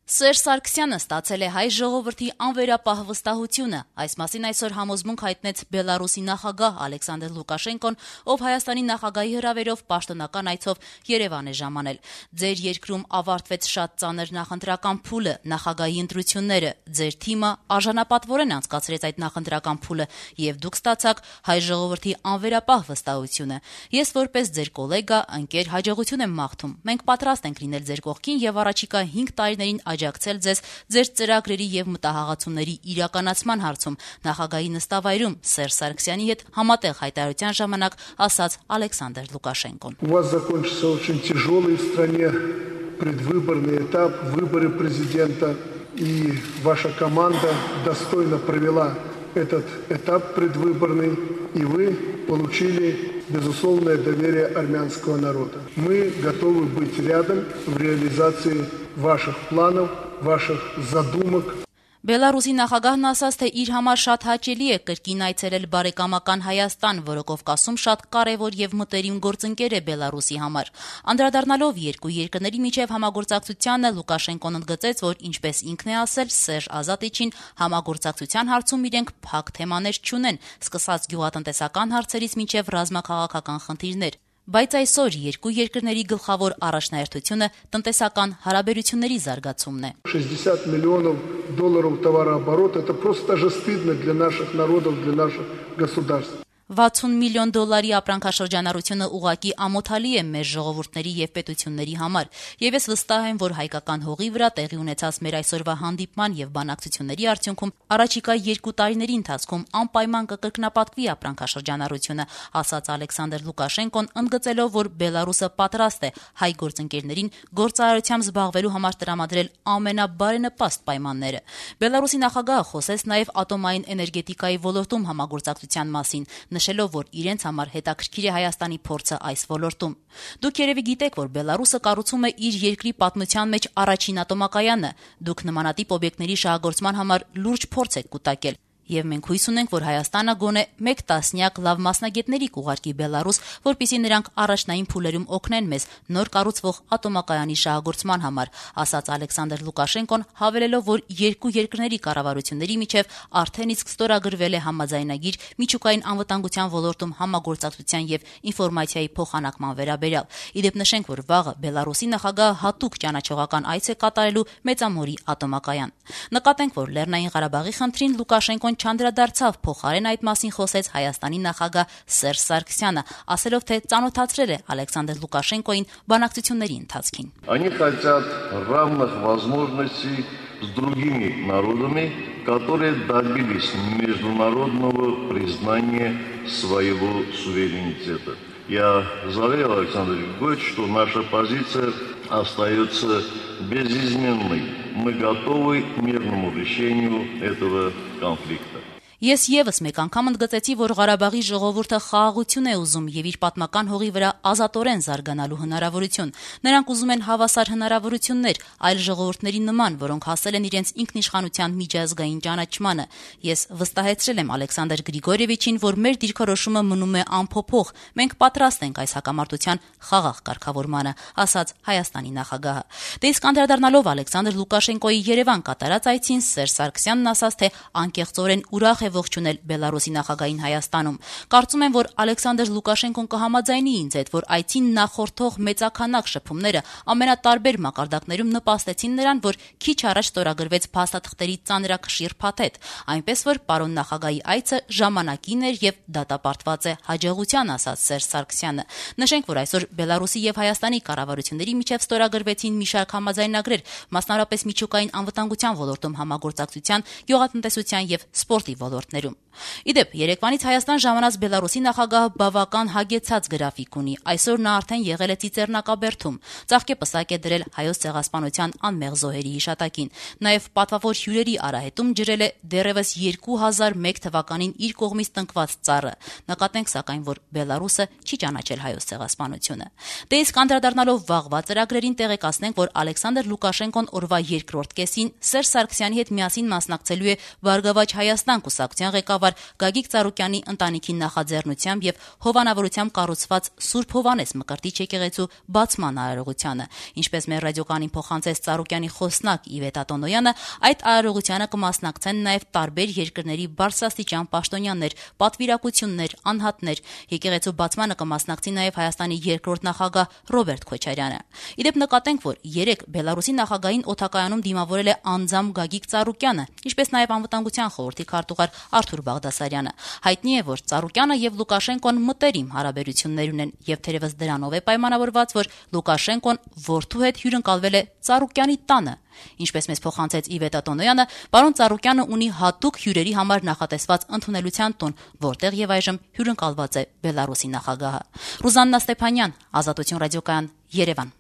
Սերժ Սարգսյանը ստացել է հայ ժողովրդի անվերապահ վստահությունը։ Այս մասին այսօր համոզմունք հայտնեց Բելարուսի նախագահ Ալեքսանդր Լուկաշենկոն, ով Հայաստանի նախագահի հրավերով պաշտոնական այցով Երևան է ժամանել։ Ձեր երկրում ավարտվեց շատ ծանր նախընտրական փուլը, նախագահի ընտրությունները, ձեր թիմը արժանապատվորեն անցկացրեց այդ նախընտրական փուլը, եւ դուք ստացաք հայ ժողովրդի անվերապահ վստահությունը։ Ես որպես ձեր գոլեգա, ընկեր, հաջողություն եմ մաղթում։ Մենք պատրաստ ենք լինել ձեր կողքին եւ առաջիկա 5 տարիներին աջակցել ձեզ ձեր ծրագրերի եւ մտահղացումների իրականացման հարցում, նախագահի նստավայրում Սերժ Սարգսյանի հետ համատեղ հայտարարության ժամանակ ասաց Ալեքսանդր Լուկաշենկոն։ У вас закончился очень тяжелый в стране предвыборный этап, выборы президента, и ваша команда достойно провела этот этап предвыборный, и вы получили безусловное доверие армянского народа. Мы готовы быть рядом в реализации ваших планов, ваших задумок. Բելարուսի նախագահն ասաց, թե իր համար շատ հաճելի է կրկին այցելել բարեկամական Հայաստան, որը Կովկասում շատ կարևոր եւ մտերիմ գործընկեր է Բելարուսի համար։ Անդրադառնալով երկու երկրների միջև համագործակցությանը, Լուկաշենկոն ընդգծեց, որ ինչպես ինքն է ասել Սերժ Ազատիչին, համագործակցության հարցում իրենք փակ թեմաներ չունեն, սկսած գյուղատնտեսական հարցերից մինչև ռազմաքաղաքական խնդիրներ։ Բայց այսօր երկու երկրների գլխավոր առաջնահերթությունը տնտեսական հարաբերությունների զարգացումն է։ 60 миллионов долларов товарооборот – это просто даже стыдно для наших народов, для наших государств. 60 միլիոն դոլարի ապրանքաշրջանառությունը ուղղակի ամոթալի է մեր ժողովուրդների եւ պետությունների համար, եւ ես վստահ եմ, որ հայկական հողի վրա տեղի ունեցած մեր այսօրվա հանդիպման եւ բանակցությունների արդյունքում առաջիկա 2 տարիների ընթացքում անպայման կկրկնապատկվի ապրանքաշրջանառությունը, ասաց Ալեքսանդր Լուկաշենկոն, ընդգծելով, որ Բելարուսը պատրաստ է հայ գործընկերներին գործարարությամբ զբաղվելու համար տրամադրել ամենաբարենպաստ պայմանները։ Բելարուսի նախագահը խոսեց նաեւ ատոմային էներգետիկայի ոլորտում համագործակցության մասին, նշելով, որ իրենց համար հետաքրքիր է Հայաստանի փորձը այս ոլորտում։ Դուք երևի գիտեք, որ Բելարուսը կառուցում է իր երկրի պատմության մեջ առաջին ատոմակայանը։ Դուք նմանատիպ օբյեկտների շահագործման համար լուրջ փորձ եք կուտակել։ Եվ մենք հույս ունենք, որ Հայաստանը գոնե 1 տասնյակ լավ մասնագետների կուղարկի Բելարուս, որպեսզի նրանք առաջնային փուլերում օգնեն մեզ նոր կառուցվող ատոմակայանի շահագործման համար, ասաց Ալեքսանդր Լուկաշենկոն, հավելելով, որ երկու երկրների կառավարությունների միջև արդեն իսկ ստորագրվել է համաձայնագիր միջուկային անվտանգության ոլորտում համագործակցության եւ ինֆորմացիայի փոխանակման վերաբերյալ։ Իդեպ նշենք, որ վաղը Բելարուսի նախագահը հատուկ ճանաչողական այց է կատարելու Մեծամորի ատոմակայան։ Նկատենք, որ Լեռնային Ղարաբաղի խնդրին Լուկաշենկոն չանդրադարձավ, փոխարեն այդ մասին խոսեց Հայաստանի նախագահ Սերժ Սարգսյանը, ասելով, թե ծանոթացրել է Ալեքսանդր Լուկաշենկոին բանակցությունների ընթացքին։ Они хотят равных возможностей с другими народами, которые добились международного признания своего суверенитета. Я заверил Александра Григорьевича, что наша позиция остается безизменной. Мы готовы к мирному решению этого конфликта. Ես եւս մեկ անգամ ընդգծեցի, որ Ղարաբաղի ժողովուրդը խաղաղություն է ուզում եւ իր պատմական հողի վրա ազատորեն զարգանալու հնարավորություն։ Նրանք ուզում են հավասար հնարավորություններ այլ ժողովուրդների նման, որոնք հասել են իրենց ինքնիշխանության միջազգային ճանաչմանը։ Ես վստահեցրել եմ Ալեքսանդր Գրիգորիևիչին, որ մեր դիրքորոշումը մնում է անփոփոխ։ Մենք պատրաստ ենք այս հակամարտության խաղաղ կարգավորմանը, ասաց Հայաստանի նախագահը։ Դե իսկ անդրադառնալով Ալեքսանդր Լուկաշենկոյի Երևան կատարած այցին, Սերժ Սարգսյանն ասաց, թե անկեղծորեն ուրախ ողջունել Բելարուսի նախագահին Հայաստանում։ Կարծում եմ, որ Ալեքսանդր Լուկաշենկոն կհամաձայնի ինձ հետ, որ այցին նախորդող մեծաքանակ շփումները ամենատարբեր մակարդակներում նպաստեցին նրան, որ քիչ առաջ ստորագրվեց փաստաթղթերի ծանրակշիռ փաթեթ, այնպես որ պարոն նախագահի այցը ժամանակին էր եւ դատապարտված է հաջողության, ասաց Սերժ Սարգսյանը։ Նշենք, որ այսօր Բելարուսի եւ Հայաստանի կառավարությունների միջև ստորագրվեցին մի շարք համաձայնագրեր, մասնավորապես միջուկային անվտանգության ոլորտում համագործակցության, գյուղատնտեսության եւ սպորտի ոլորտներում։ Իդեպ, երեկվանից Հայաստան ժամանած Բելարուսի նախագահը բավական հագեցած գրաֆիկ ունի։ Այսօր նա արդեն եղել է Ծիծեռնակաբերդում, ծաղկեպսակ է դրել հայոց ցեղասպանության անմեղ զոհերի հիշատակին։ Նաև պատվավոր հյուրերի արահետում ջրել է դեռևս 2001 թվականին իր կողմից տնկված ծառը։ Նկատենք սակայն, որ Բելարուսը չի ճանաչել հայոց ցեղասպանությունը։ Դե իսկ անդրադառնալով վաղվա ծրագրերին տեղեկացնենք, որ Ալեքսանդր Լուկաշենկոն օրվա երկրորդ կեսին Սերժ Սարգսյանի հետ միասին մասնակցելու է Բարգավաճ Հայաստան կուսակցության ղեկավար Գագիկ Ծառուկյանի ընտանիքի նախաձեռնությամբ եւ հովանավորությամբ կառուցված Սուրբ Հովանես Մկրտիչ եկեղեցու բացման արարողությանը։ Ինչպես մեր ռադիոկանին փոխանցեց Ծառուկյանի խոսնակ Իվետ Ատոնոյանը, այդ արարողությանը կմասնակցեն նաեւ տարբեր երկրների բարձրաստիճան պաշտոնյաներ, պատվիրակություններ, անհատներ։ Եկեղեցու բացմանը կմասնակցի նաեւ Հայաստանի երկրորդ նախագահ Ռոբերտ Քոչարյանը։ Իդեպ նկատենք, որ երեք Բելարուսի նախագահին օդակայանում դիմավորել է անձամբ Գագիկ Ծառուկյանը, ինչպես նաեւ Անվտանգության խորհրդի քարտուղար Արթուր Բաղդասարյանը։ Հայտնի է, որ Ծառուկյանը եւ Լուկաշենկոն մտերիմ հարաբերություններ ունեն եւ թերևս դրանով է պայմանավորված, որ Լուկաշենկոն որդու հետ հյուրընկալվել է Ծառուկյանի տանը։ Ինչպես մեզ փոխանցեց Իվետ Ատոնոյանը, պարոն Ծառուկյանը ունի հատուկ հյուրերի համար նախատեսված ընդունելության տուն, որտեղ եւ այժմ հյուրընկալված է Բելարուսի նախագահը։ Ռուզաննա Ստեփանյան, Ազատություն ռադիոկայան, Երևան։